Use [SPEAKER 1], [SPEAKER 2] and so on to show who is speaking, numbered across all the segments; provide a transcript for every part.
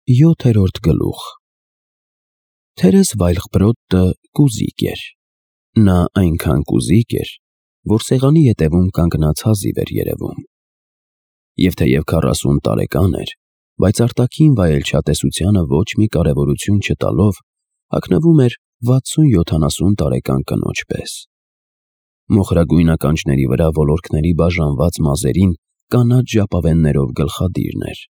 [SPEAKER 1] 7-րդ գլուխ Թերես Վայլխբրոդը կուզիկ էր։ Նա այնքան կուզիկ էր, որ սեղանի ետևում կանգնած հազիվ էր երևում։ Եվ թեև 40 տարեկան էր, բայց արտաքին վայելչատեսությանը ոչ մի կարևորություն չտալով, հագնվում էր 60-70 տարեկան կնոջ պես։ Մոխրագույն ականջների վրա ոլորքների բաժանված մազերին կանաչ ժապավեններով գլխադիրն էր։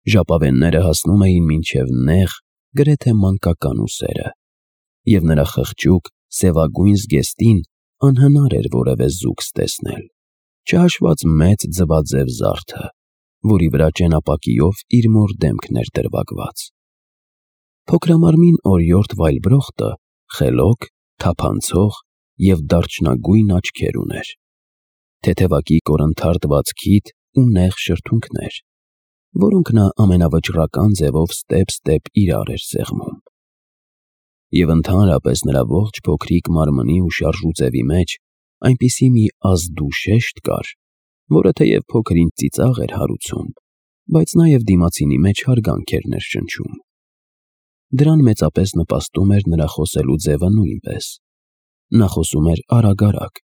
[SPEAKER 1] Ժապավենները հասնում էին մինչև նեղ, գրեթե մանկական ուսերը, և նրա խղճուկ, սևագույն զգեստին անհնար էր որևէ զուգ ստեսնել, չհաշված մեծ ձվաձև զարդը, որի վրա ճենապակիով իր մոր դեմքն էր դրվագված։ Փոքրամարմին օրիորդ Վայլբրոխտը խելոք, թափանցող և դարչնագույն աչքեր ուներ, թեթևակի կորնթարթված քիթ ու նեղ շրթունքներ, որոնք նա ամենավճռական ձևով ստեպ-ստեպ իրար էր սեղմում։ Եվ ընդհանրապես նրա ողջ փոքրիկ մարմնի ու շարժու ձևի մեջ այնպիսի մի ազդու շեշտ կար, որը թեև փոքր-ինչ ծիծաղ էր հարուցում, բայց նաև դիմացինի մեջ հարգանք էր ներշնչում։ Դրան մեծապես նպաստում էր նրա խոսելու ձևը նույնպես։ Նա խոսում էր արագ-արագ,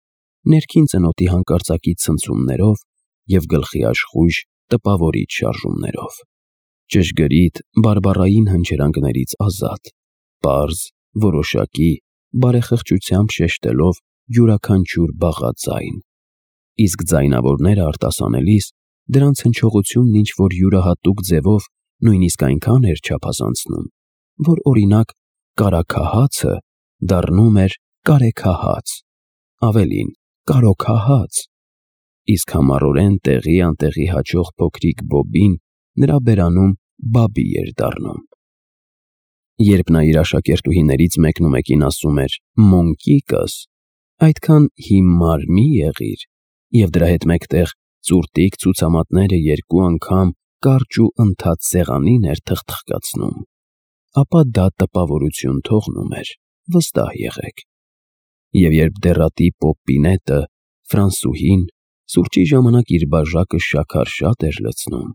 [SPEAKER 1] ներքին ծնոտի հանկարծակի ցնցումներով և գլխի աշխույժ, տպավորիչ շարժումներով, ճշգրիտ, բարբառային հնչերանգներից ազատ, պարզ, որոշակի, բարեխղճությամբ շեշտելով յուրաքանչյուր բաղաձայն, իսկ ձայնավորները արտասանելիս դրանց հնչողությունն ինչ-որ յուրահատուկ ձևով նույնիսկ այնքան էր չափազանցնում, որ օրինակ կարագահացը դառնում էր կարեգահաց, ավելին՝ կարոգահաց, իսկ համառորեն տեղի անտեղի հաչող փոքրիկ բոբին նրա բերանում բաբի էր դառնում։ Երբ նա իր աշակերտուհիներից մեկնումեկին ասում էր «մոնկիկս», այդքան հիմար մի եղիր, և դրա հետ մեկտեղ ծուռտիկ ցուցամատները 2 անգամ կարճ ու ընդհատ սեղանին էր թխթխկացնում, ապա դա տպավորություն թողնում էր, վստահ եղեք։ Եվ երբ դեռատի Պոպպինետը, ֆրանսուհին, սուրճի ժամանակ իր բաժակը շաքար-շատ էր լցնում,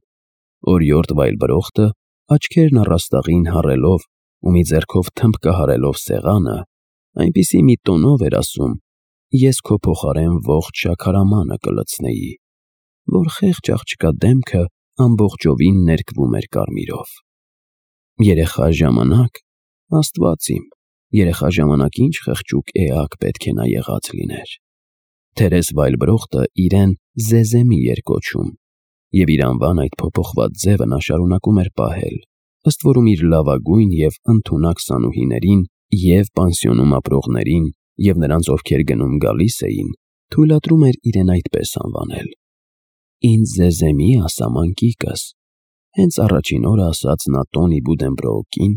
[SPEAKER 1] օրիորդ Վայլբրոխտը, աչքերն առաստաղին հառելով ու մի ձեռքով թմբկահարելով սեղանը, այնպիսի մի տոնով էր ասում. «Ես քո փոխարեն ողջ շաքարամանը կլցնեի», որ խեղճ աղջկա դեմքը ամբողջովին ներկվում էր կարմիրով։ Երեխա ժամանակ, Աստված իմ, երեխա ժամանակ ինչ խղճուկ էակ պետք է նա եղած լիներ։ Թերես Վայլբրոխտը իրեն Զեզեմի էր կոչում, և իր անվան այդ փոփոխված ձևը նա շարունակում էր պահել, ըստ որում իր լավագույն և ընդունակ սանուհիներին և պանսիոնում ապրողներին և նրանց, ովքեր գնում գալիս էին, թույլատրում էր իրեն այդպես անվանել։ «Ինձ Զեզեմի ասա, մանկիկս», հենց առաջին օրը ասաց նա Տոնի Բուդենբրոուկին,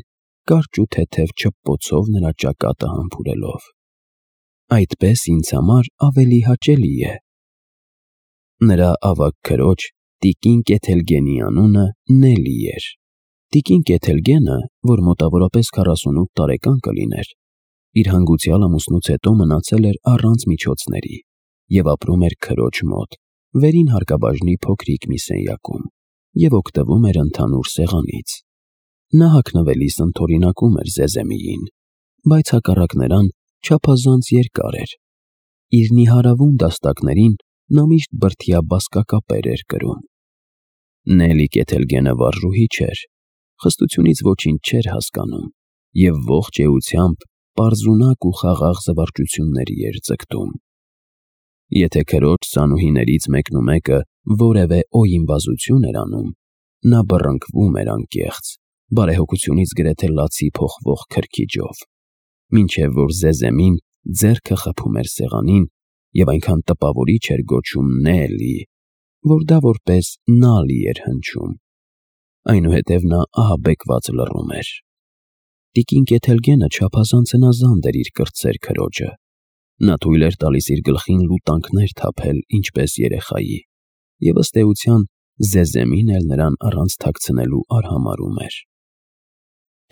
[SPEAKER 1] կարճ ու թեթև չպպոցով նրա ճակատը համբուրելով։ «Այդպես ինձ համար ավելի հաճելի է»։ Նրա ավագ քրոջ տիկին Կեթելգենի անունը Նելի էր։ Տիկին Կեթելգենը, որ մոտավորապես 48 տարեկան կլիներ, իր հանգուցյալ ամուսնուց հետո մնացել էր առանց միջոցների և ապրում էր քրոջ մոտ, վերին հարկաբաժնի փոքրիկ մի սենյակում, և օգտվում էր ընդհանուր սեղանից։ Նա հագնվելիս ընդօրինակում էր Զեզեմիին, բայց հակառակ նրան չափազանց երկար էր։ Իր նիհարավուն դաստակներին նա միշտ բրդյա բազկակապեր էր կրում։ Նելի Կեթելգենը վարժուհի չէր, խստությունից ոչինչ չէր հասկանում և ողջ էությամբ պարզունակ ու խաղաղ զվարճությունների էր ձգտում։ Եթե քրոջ սանուհիներից մեկնումեկը որևէ օյիմբազություն էր անում, նա բռնկվում էր անկեղծ, բարեհոգությունից գրեթե լացի փոխվող քրքիջով, մինչև որ Զեզեմին ձեռքը խփում էր սեղանին և այնքան տպավորիչ էր գոչում Նելի, որ դա որպես Նալի էր հնչում, այնուհետև նա ահաբեկված լռում էր։ Տիկին Կեթելգենը չափազանց հնազանդ էր իր կրտսեր քրոջը։ Նա թույլ էր տալիս իր գլխին լուտանքներ թափել ինչպես երեխայի, և ըստ էության Զեզեմին էլ նրան առանց թաքցնելու արհամարհում էր։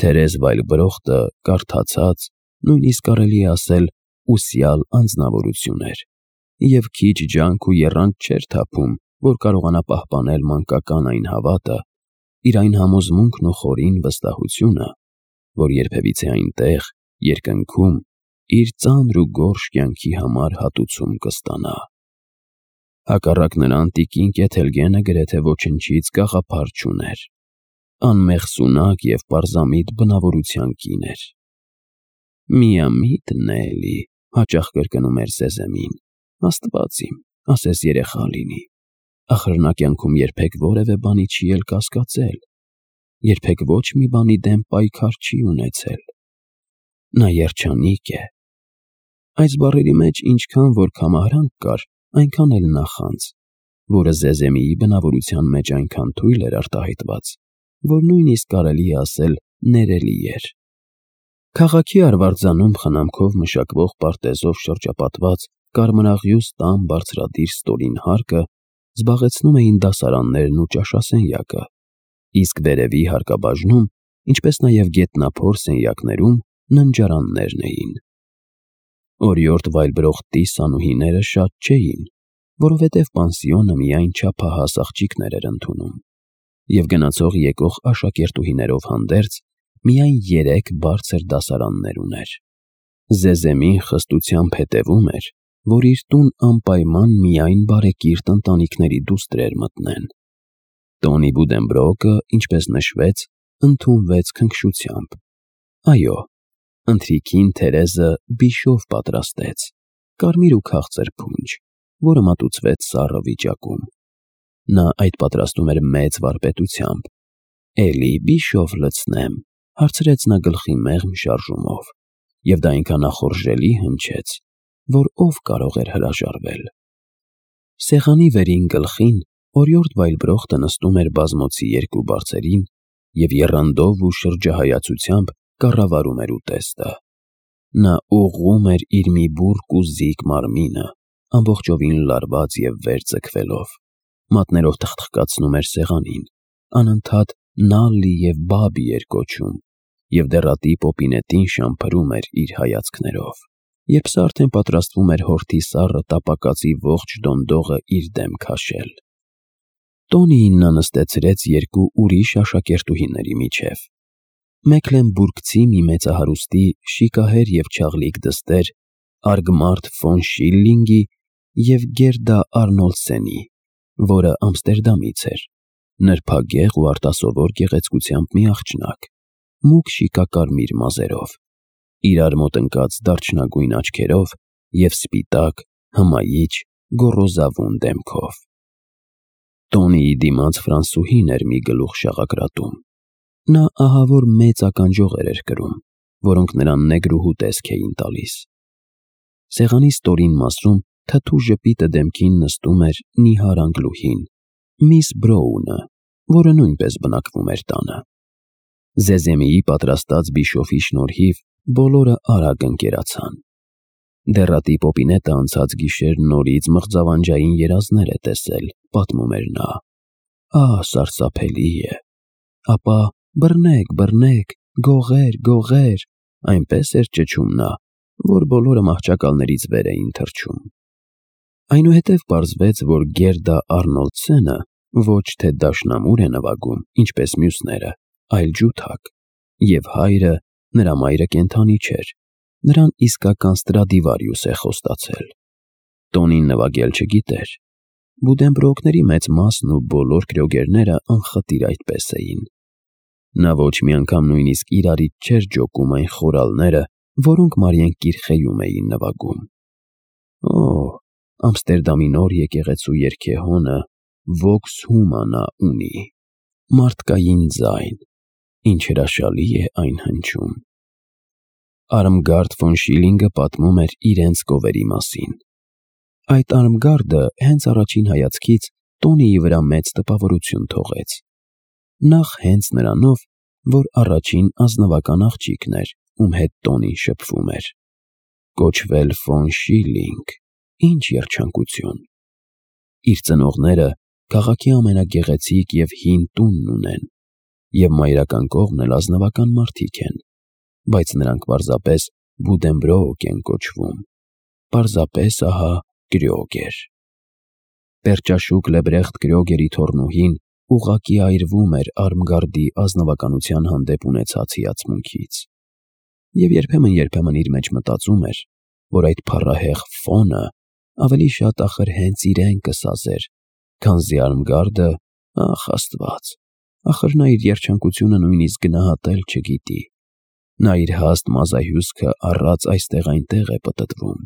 [SPEAKER 1] Թերես Վայլբրոխտը կարդացած, նույնիսկ կարելի է ասել ուսյալ անձնավորություն էր, և քիչ ջանք ու եռանդ չէր թափում, որ կարողանա պահպանել մանկական այն հավատը, իր այն համոզմունքն ու խորին վստահությունը, որ երբևիցե այնտեղ, երկնքում, իր ծանր ու գորշ կյանքի համար հատուցում կստանա։ Հակառակ նրան տիկին Կեթելգենը գրեթե ոչնչից գաղափար չուներ, անմեղ սունակ և պարզամիտ բնավորության կին էր։ «Միամիտն է էլի», հաճախ կրկնում էր Զեզեմին, «Աստված իմ, ասես երեխա լինի, ախր նա կյանքում երբեք որևէ բանի չի էլ կասկածել, երբեք ոչ մի բանի դեմ պայքար չի ունեցել։ Նա երջանիկ է»։ Այս բառերի մեջ ինչքան որ կամահարանք կար, այնքան էլ նախանձ, որը Զեզեմիի բնավորության մեջ այնքան թույլ էր արտահայտված, որ նույնիսկ կարելի է ասել ներելի էր։ Քաղաքի արվարձանում խնամքով մշակվող պարտեզով շրջապատված կարմրաղյուս տան բարձրադիր ստորին հարկը զբաղեցնում էին դասարաններն ու ճաշասենյակը, իսկ վերևի հարկաբաժնում, ինչպես նաև գետնափոր սենյակներում ննջարաններն էին։ Օրիորդ վայելբրողտի սանուհիները շատ չէին, որովհետև պանսիոնը միայն չափահաս աղջիկներ էր ընդունում, և գնացող եկող աշակերտուհիներով հանդերձ միայն 3 բարձր դասարաններ ուներ։ Զեզեմին խստությամբ հետևում էր, որ իր տուն անպայման միայն բարեկիրթ ընտանիքների դուստր մտնեն։ Տոնի Բուդենբրոկը, ինչպես նշվեց, ընդունվեց քնքշությամբ։ Այո, ընթրիքին Թերեզը բիշով պատրաստեց, կարմիր ու քաղցր փունջ, որը մատուցվեց սառը վիճակում։ Նա այդ պատրաստում էր մեծ վարպետությամբ։ «Էլի բիշով լցնեմ», հարցրեց նա գլխի մեղմ շարժումով, և դա այնքան ախորժելի հնչեց, որ ով կարող էր հրաժարվել։ Սեղանի վերին գլխին օրիորդ Վայլբրողտը նստում էր բազմոցի 2 բարձերին և եռանդով ու շրջահայացությամբ կառավարում էր ուտեստը։ Նա ուղղում էր իր մի բուրկ ու զիկ մարմինը, ամբողջովին լարված և վեր ձգվելով, մատներով թխթխկացնում էր սեղանին, անընդհատ Նալլի և Բաբի էր կոչում և դեռատի պոպինետին շամփրում էր իր հայացքներով, երբ սա արդեն պատրաստվում էր հորթի սառը տապակածի ողջ դոնդողը իր դեմ քաշել։ Տոնիին նա նստեցրեց 2 ուրիշ աշակերտուհիների միջև։ Մեքլենբուրգցի մի մեծահարուստի շիկահեր և չաղլիկ դստեր Արգմարտ ֆոն Շիլլինգի և Գերդա Արնոլդսենի, որը Ամստերդամից էր, նրբագեղ ու արտասովոր գեղեցկությամբ մի աղջնակ, մուգ շիկակարմիր մազերով, իրար մոտ ընկած դարչնագույն աչքերով և սպիտակ, հմայիչ, գոռոզավուն դեմքով։ Տոնիի դիմաց ֆրանսուհին էր մի գլուխ շաղակրատում։ Նա ահավոր մեծ ականջողեր էր կրում, որոնք նրան նեգրուհու տեսք էին տալիս։ Սեղանի ստորին մասում թաթու ժպիտը դեմքին նստում էր նիհար անգլուհին, միս Բրոունը, որը նույնպես բնակվում էր տանը։ Զեզեմիի պատրաստած բիշոֆի շնորհիվ բոլորը արագ ընկերացան։ Դեռատի պոպինետը անցած գիշեր նորից մղձավանջային երազներ է տեսել, պատմում էր նա։ Ահ, սարսափելի է։ Ապա բռնեք, բռնեք, գողեր, գողեր, այնպես էր ճչում նա, որ բոլորը մահճակալներից վեր էին թռչում։ Այնուհետև պարզվեց, որ Գերդա Արնոլդսենը ոչ թե դաշնամուր է նվագում, ինչպես մյուսները, այլ ջութակ, և հայրը, նրա մայրը կենդանի չէր, նրան իսկական Ստրադիվարիուս է խոստացել։ Տոնին նվագել չգիտեր։ Բուդենբրոկների մեծ մասն ու բոլոր կրյոգերները անխտիր այդպես էին։ Նա ոչ մի անգամ նույնիսկ իրարից չէր ջոկում այն խորալները, որոնք Մարիեն Կիրխեում էին նվագում։ Օ, Ամստերդամի նոր եկեղեցու երգեհոնը Vox Humana ունի, մարդկային ձայն, ինչ հրաշալի է այն հնչում։ Արմգարդ ֆոն Շիլինգը պատմում էր իրենց գովերի մասին։ Այդ Արմգարդը հենց առաջին հայացքից Տոնիի վրա մեծ տպավորություն թողեց։ Նախ հենց նրանով, որ առաջին ազնվական աղջիկն էր, ում հետ Տոնին շփվում էր։ Կոչվել ֆոն Շիլինգ, ինչ երջանկություն։ Իր ծնողները քաղաքի ամենագեղեցիկ և հին տունն ունեն, և մայրական կողմն էլ ազնվական մարդիկ են, բայց նրանք պարզապես Բուդենբրոկ են կոչվում, պարզապես ահա կրյոգեր։ Պերճաշուք Լեբրեխտ Կրյոգերի թոռնուհին ուղղակի այրվում էր Արմգարդի ազնվականության հանդեպ ունեցած հիացմունքից, և երբեմն իր մեջ մտածում էր, որ այդ փառահեղ Ֆոնը ավելի շատ ախր հենց իրեն կսազեր, քանզի Արմգարդը, ախ Աստված, ախր նա իր երջանկությունը նույնիսկ գնահատել չգիտի, նա իր հաստ մազահյուսքը առած այստեղ-այնտեղ է պտտվում,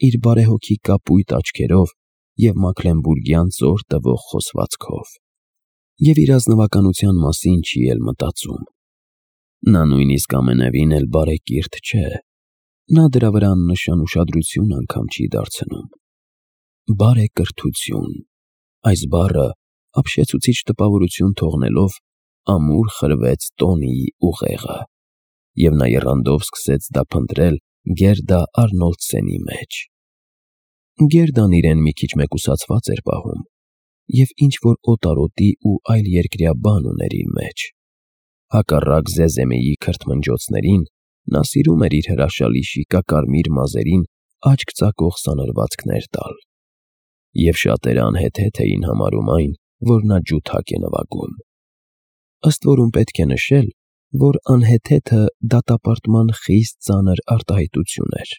[SPEAKER 1] իր բարեհոգի կապույտ աչքերով և մաքլենբուրգյան ծոր տվող խոսվածքով, և իր ազնվականության մասին չի էլ մտածում. նա նույնիսկ ամենևին էլ բարեկիրթ չէ, նա դրա վրա աննշան ուշադրություն անգամ չի դարձնում։ Բարեկրթություն, այս բառը ապշեցուցիչ տպավորություն թողնելով, ամուր խրվեց Տոնիի ուղեղը, և նա եռանդով սկսեց դա փնտրել Գերդա Արնոլդսենի մեջ։ Գերդան իրեն մի քիչ մեկուսացված էր պահում և ինչ-որ օտարոտի ու այլերկրյա բան ուներ իր մեջ։ Հակառակ Զեզեմիի քրթմնջոցներին, նա սիրում էր իր հրաշալի շիկակարմիր մազերին աչք ծակող սանրվածքներ տալ, և շատերը անհեթեթ էին համարում այն, որ նա ջութակ է նվագում։ Ըստ որում պետք է նշել, որ անհեթեթը դատապարտման խիստ ծանր արտահայտություն էր,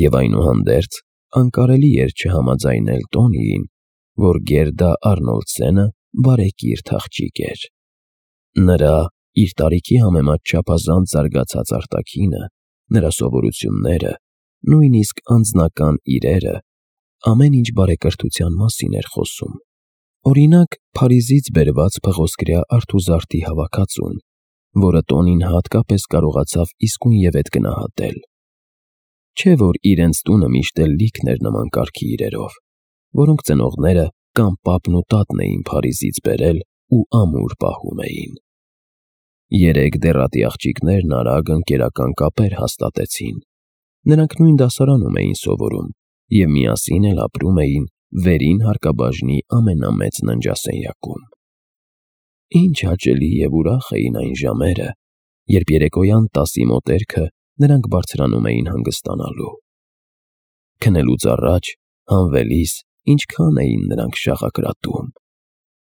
[SPEAKER 1] և այնուհանդերձ անկարելի էր չհամաձայնել Տոնիին, որ Գերդա Արնոլդսենը բարեկիրթ աղջիկ էր։ Նրա իր տարիքի համեմատ չափազանց զարգացած արտաքինը, նրա սովորությունները, նույնիսկ անձնական իրերը, ամեն ինչ բարեկրթության մասին էր խոսում։ Օրինակ, Փարիզից բերված փղոսկրյա արթուզարդի հավաքածուն, որը Տոնին հատկապես կարողացավ իսկույնևեթ գնահատել։ Չէ՞ որ իրենց տունը միշտ էլ լիքն էր նման կարգի իրերով, որոնք ծնողները կամ պապն ու տատն էին Փարիզից բերել ու ամուր պահում էին։ Երեք դեռատի աղջիկներն արագ ընկերական կապեր հաստատեցին։ Նրանք նույն դասարանում էին սովորում և միասին էլ ապրում էին վերին հարկաբաժնի ամենամեծ ննջասենյակում։ Ինչ հաճելի և ուրախ էին այն ժամերը, երբ երեկոյան 10-ի մոտերքը նրանք բարձրանում էին հանգստանալու։ Քնելուց առաջ, հանվելիս, ինչքան էին նրանք շաղակրատում։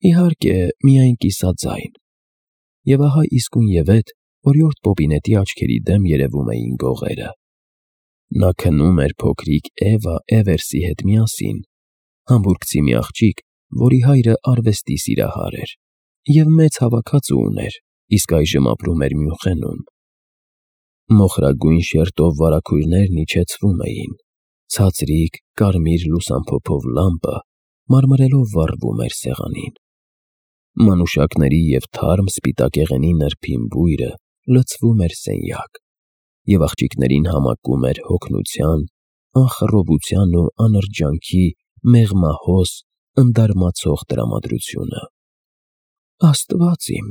[SPEAKER 1] Իհարկե, միայն կիսաձայն։ Եվ ահա իսկույնևեթ օրիորդ Պոպինետի աչքերի դեմ երևում էին գողերը։ Նա քնում էր փոքրիկ Էվա Էվերսի հետ միասին, համբուրգցի մի աղջիկ, որի հայրը արվեստի սիրահար էր և մեծ հավաքածու ուներ, իսկ այժմ ապրում էր Մյունխենում։ Մոխրագույն շերտով վարագույրներն իջեցվում էին, ցածրիկ կարմիր լուսամփոփով լամպը մարմրելով վառվում էր սեղանին։ Մանուշակների և թարմ սպիտակեղենի նրբին բույրը լցվում էր սենյակ, և աղջիկներին համակում էր հոգնության, անխռովության ու անրջանքի մեղմահոս, ընդարմացող տրամադրությունը։ «Աստված իմ»,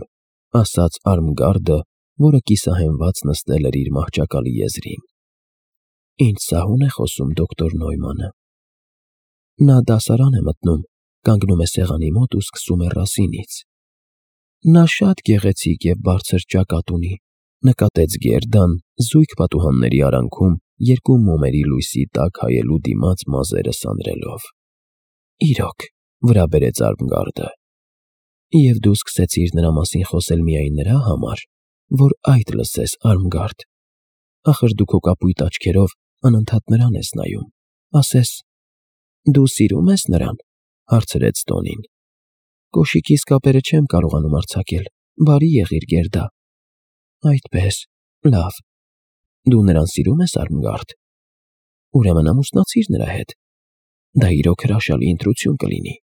[SPEAKER 1] ասաց Արմգարդը, որը կիսահենված նստել էր իր մահճակալի եզրին, «ինչ սահուն է խոսում դոկտոր Նոյմանը»։ Նա դասարան է մտնում, կանգնում է սեղանի մոտ ու սկսում է Ռասինից։ Նա շատ գեղեցիկ և բարձր ճակատ ունի, նկատեց Գերդան, զույգ պատուհանների արանքում երկու մոմերի լույսի տակ հայելու դիմաց մազերը սանրելով։ Իրոք, վրա բերեց Արմգարդը։ Եվ դու սկսեցիր նրա մասին խոսել միայն նրա համար, որ այդ լսես, Արմգարդ։ Ախր դու քո կապույտ աչքերով անընդհատ նրան ես նայում, ասես… Դու սիրում ես նրան, հարցրեց Տոնին։ Կոշիկիս կապերը չեմ կարողանում արձակել, բարի եղիր, Գերդա։ Այդպես, լավ։ Դու նրան սիրում ես, Արմգարդ։ Ուրեմն ամուսնացիր նրա հետ։ Դա իրոք հրաշալի ընտրություն կլինի։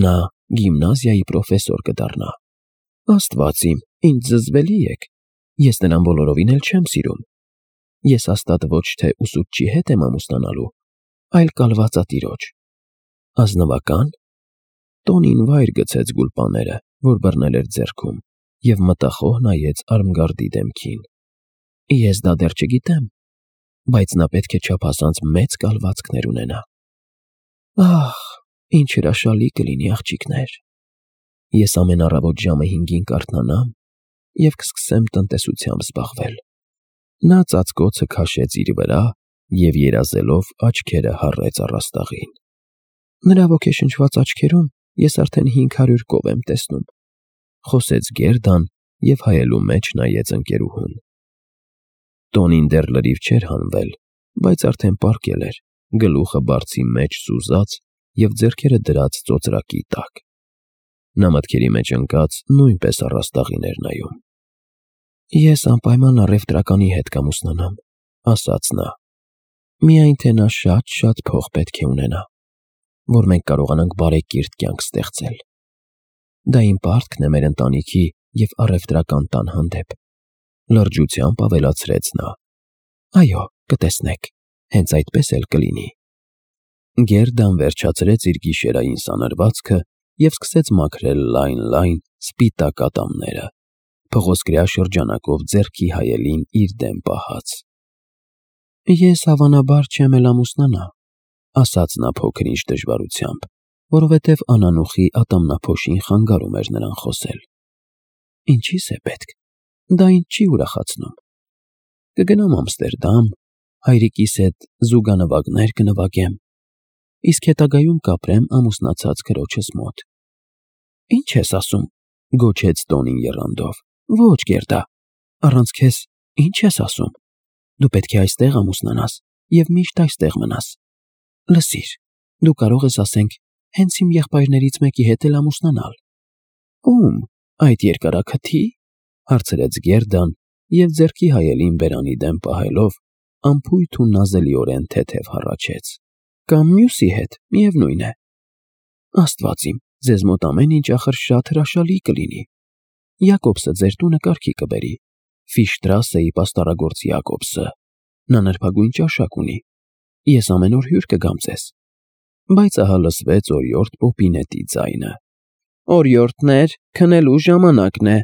[SPEAKER 1] Նա գիմնազիայի պրոֆեսոր կդառնա։ Աստված իմ, ինչ զզվելի եք։ Ես նրան բոլորովին էլ չեմ սիրում։ Ես հաստատ ոչ թե ուսուցչի հետ եմ ամուսնանալու, այլ կալվածատիրոջ։ Ազնվակա՞ն։ Տոնին վայր գցեց գուլպաները, որ բռնել էր ձեռքում, և մտախոհ նայեց Արմգարդի դեմքին։ Ես դա դեռ չգիտեմ, բայց նա պետք է չափազանց մեծ կալվածքներ ունենա։ Ահ, ինչ հրաշալի կլինի, աղջիկներ։ Ես ամեն առավոտ ժամը 5-ին կարթնանամ և կսկսեմ տնտեսությամբ զբաղվել։ Նա ծածկոցը քաշեց իր վրա և երազելով աչքերը հառեց առաստաղին։ Նրա ոգեշնչված աչքերում ես արդեն 500 կով եմ տեսնում, խոսեց Գերդան և հայելու մեջ նայեց ընկերուհուն։ Տոնին դեռ լրիվ չէր հանվել, բայց արդեն պառկել էր, գլուխը բարձի մեջ սուզած և ձեռքերը դրած ծոծրակի տակ։ Նա մտքերի մեջ ընկած նույնպես առաստաղին էր նայում։ Ես անպայման առևտրականի հետ կամուսնանամ, ասաց նա։ Միայն թե նա շատ փող պետք է ունենա, որ մենք կարողանանք բարեկիրթ կյանք ստեղծել։ Դա իմ պարտքն է մեր ընտանիքի և առևտրական տան հանդեպ, լրջությամբ ավելացրեց նա։ Այո, կտեսնեք, հենց այդպես էլ կլինի։ Գերդան վերջացրեց իր գիշերային սանրվածքը և սկսեց մաքրել լայն սպիտակ ատամները, փղոսկրյա շրջանակով ձեռքի հայելին իր դեմ պահած։ Ես հավանաբար չեմ էլ ամուսնանա, ասաց նա փոքր-ինչ դժվարությամբ, որովհետև անանուխի ատամնափոշին խանգարում էր նրան խոսել։ Ինչի՞ս է պետք, դա ինձ չի ուրախացնում։ Կգնամ Ամստերդամ, հայրիկիս հետ զուգանվագներ կնվագեմ, իսկ հետագայում կապրեմ ամուսնացած քրոջս մոտ։ Ինչ ես ասում, գոչեց Տոնին եռանդով։ Ոչ, Գերդա, առանց քեզ ինչ ես ասում։ Դու պետք է այստեղ ամուսնանաս և միշտ այստեղ մնաս։ Լսիր, դու կարող ես, ասենք, հենց իմ եղբայրներից մեկի հետ էլ ամուսնանալ։ Ում, այդ երկարաքթի՞, հարցրեց Գերդան և ձեռքի հայելին բերանի դեմ պահելով անփույթ ու նազելիորեն թեթև հառաչեց։ Կամ մյուսի հետ, միևնույն է։ Աստված իմ, ձեզ մոտ ամեն ինչ ախր շատ հրաշալի կլինի։ Յակոբսը ձեր տունը կարգի կբերի, Ֆիշտրասեի պաստառագործ Յակոբսը։ Նա նրբագույն ճաշակ ունի։ Ես ամեն օր հյուր կգամ ձեզ։ Բայց ահա լսվեց օրիորդ Պոպինետի ձայնը։ Օրիորդներ, քնելու ժամանակն է։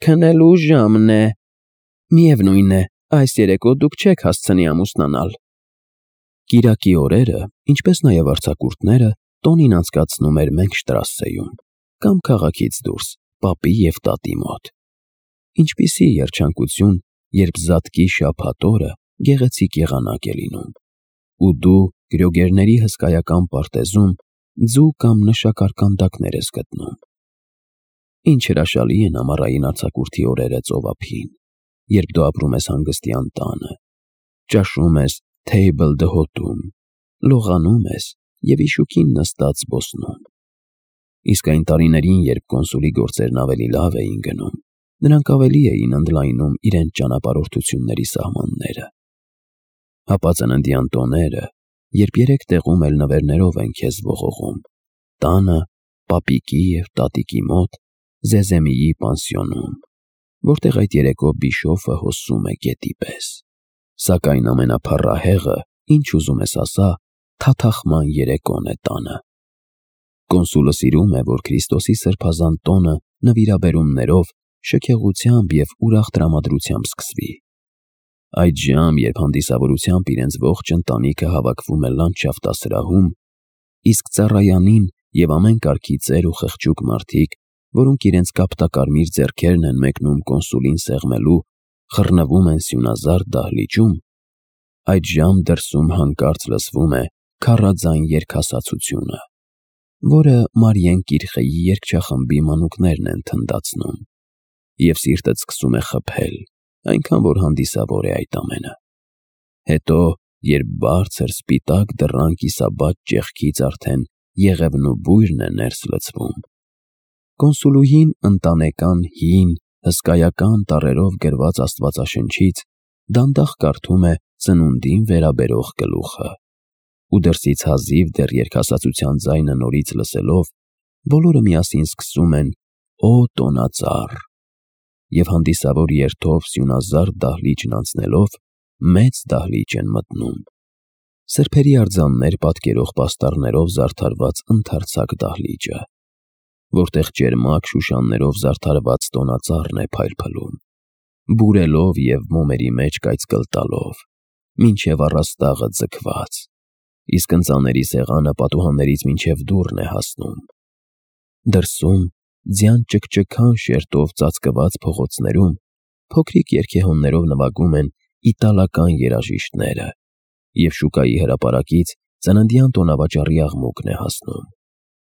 [SPEAKER 1] Քնելու ժամն է։ Միևնույն է, այս երեկո դուք չեք հասցնի ամուսնանալ։ Կիրակի օրերը, ինչպես նաև արձակուրդները, Տոնին անցկացնում էր Մենքշտրասեում կամ քաղաքից դուրս, պապի և տատի մոտ։ Ինչպիսի երջանկություն, երբ զատկի շաբաթ օրը գեղեցիկ եղանակ է լինում, ու դու գրոգերների հսկայական պարտեզում ձու կամ նշակարկանդակներ ես գտնում։ Ինչ հրաշալի են ամառային արձակուրդի օրերը ծովափին, երբ դու ապրում ես հանգստյան տանը, ճաշում ես Table d'Hôte-ում, լողանում ես և իշուկին նստած զբոսնում։ Իսկ այն տարիներին, երբ կոնսուլի գործերն ավելի լավ էին գնում, նրանք ավելի էին ընդլայնում իրենց ճանապարհորդությունների սահմանները։ Հապա ծննդյան տոները, երբ 3 տեղում էլ նվերներով են քեզ ողողում, տանը, պապիկի և տատիկի մոտ, Զեզեմիի պանսիոնում, որտեղ այդ երեկո Բիշոֆը հոսում է գետի պես։ Սակայն ամենափառահեղը, ինչ ուզում ես ասա, թաթախման երեկոն է տանը։ Կոնսուլը սիրում է, որ Քրիստոսի սրբազան տոնը նվիրաբերումներով, շքեղությամբ և ուրախ տրամադրությամբ սկսվի։ Այդ ժամ, երբ հանդիսավորությամբ իրենց ողջ ընտանիքը հավաքվում է լանդշաֆտասրահում, իսկ ծառայանին և ամեն կարգի ծեր ու խղճուկ մարդիկ, որոնք իրենց կապտակարմիր ձեռքերն են մեկնում կոնսուլին սեղմելու, խռնվում են սյունազարդ դահլիճում, այդ ժամ դրսում հանկարծ լսվում է քառաձայն երգասացությունը, որը Մարիեն Կիրխեի երգչախմբի մանուկներն են թնդացնում, և սիրտդ սկսում է խփել, այնքան որ հանդիսավոր է այդ ամենը։ Հետո, երբ բարձր սպիտակ դռան կիսաբաց ճեղքից արդեն եղևն ու բույրն է ներս լցվում, կոնսուլուհին ընտանեկան հին, հսկայական տառերով գրված Աստվածաշնչից դանդաղ կարդում է ծնունդին վերաբերող գլուխը, ու դրսից հազիվ դեռ երգասացության ձայնը նորից լսելով, բոլորը միասին սկսում են «Օ տոնածառ» և հանդիսավոր երթով սյունազարդ դահլիճն անցնելով, մեծ դահլիճ են մտնում։ Սրբերի արձաններ պատկերող պաստառներով զարդարված ընդարձակ դահլիճը, որտեղ ճերմակ շուշաններով զարդարված տոնածառն է փայլփլում, բուրելով և մոմերի մեջ կայծկլ տալով, մինչև առաստաղը ձգված, իսկ ընծաների սեղանը պատուհաններից մինչև դուռն է հասնում։ Դրսում, ձյան ճկճկան շերտով ծածկված փողոցներում, փոքրիկ երգեհոններով նվագում են իտալական երաժիշտները, և շուկայի հրապարակից ծննդյան տոնավաճառի աղմուկն է հասնում։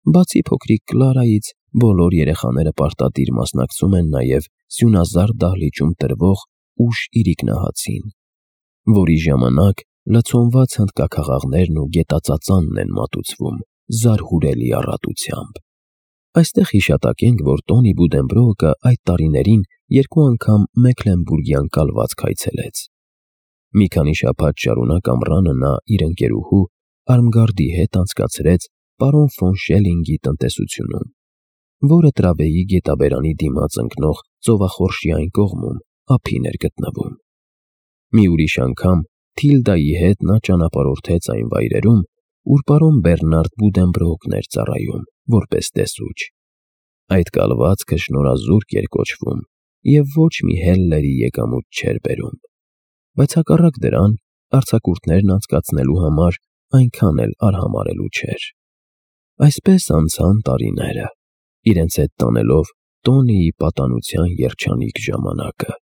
[SPEAKER 1] Բացի փոքրիկ Կլարայից, բոլոր երեխաները պարտադիր մասնակցում են նաև սյունազարդ դահլիճում տրվող ուշ իրիկնահացին, որի ժամանակ լցոնված հնդկաքաղաղներն ու գետածածանն են մատուցվում զարհուրելի առատությամբ։ Այստեղ հիշատակենք, որ Տոնի Բուդենբրոուկը այդ տարիներին 2 անգամ Մեքլենբուրգյան կալվածք այցելեց։ Մի քանի շաբաթ շարունակ ամռանը նա իր ընկերուհու Արմգարդի հետ անցկացրեց պարոն ֆոն Շելլինգի տնտեսությունում, որը Տրավեի գետաբերանի դիմաց ընկնող ծովախորշի այն կողմում ափին էր գտնվում։ Մի ուրիշ անգամ Թիլդայի հետ նա ճանապարհորդեց այն վայրերում, ուր պարոն Բեռնարդ Բուդենբրոուկն էր ծառայում որպես տեսուչ։ Այդ կալվածքը շնորհազուրկ էր կոչվում և ոչ մի հելլերի եկամուտ չէր բերում, բայց հակառակ դրան արձակուրդներն անցկացնելու համար այնքան էլ արհամարհելու չէր։ Այսպես անցան տարիները, իրենց հետ տանելով Տոնիի պատանության երջանիկ ժամանակը։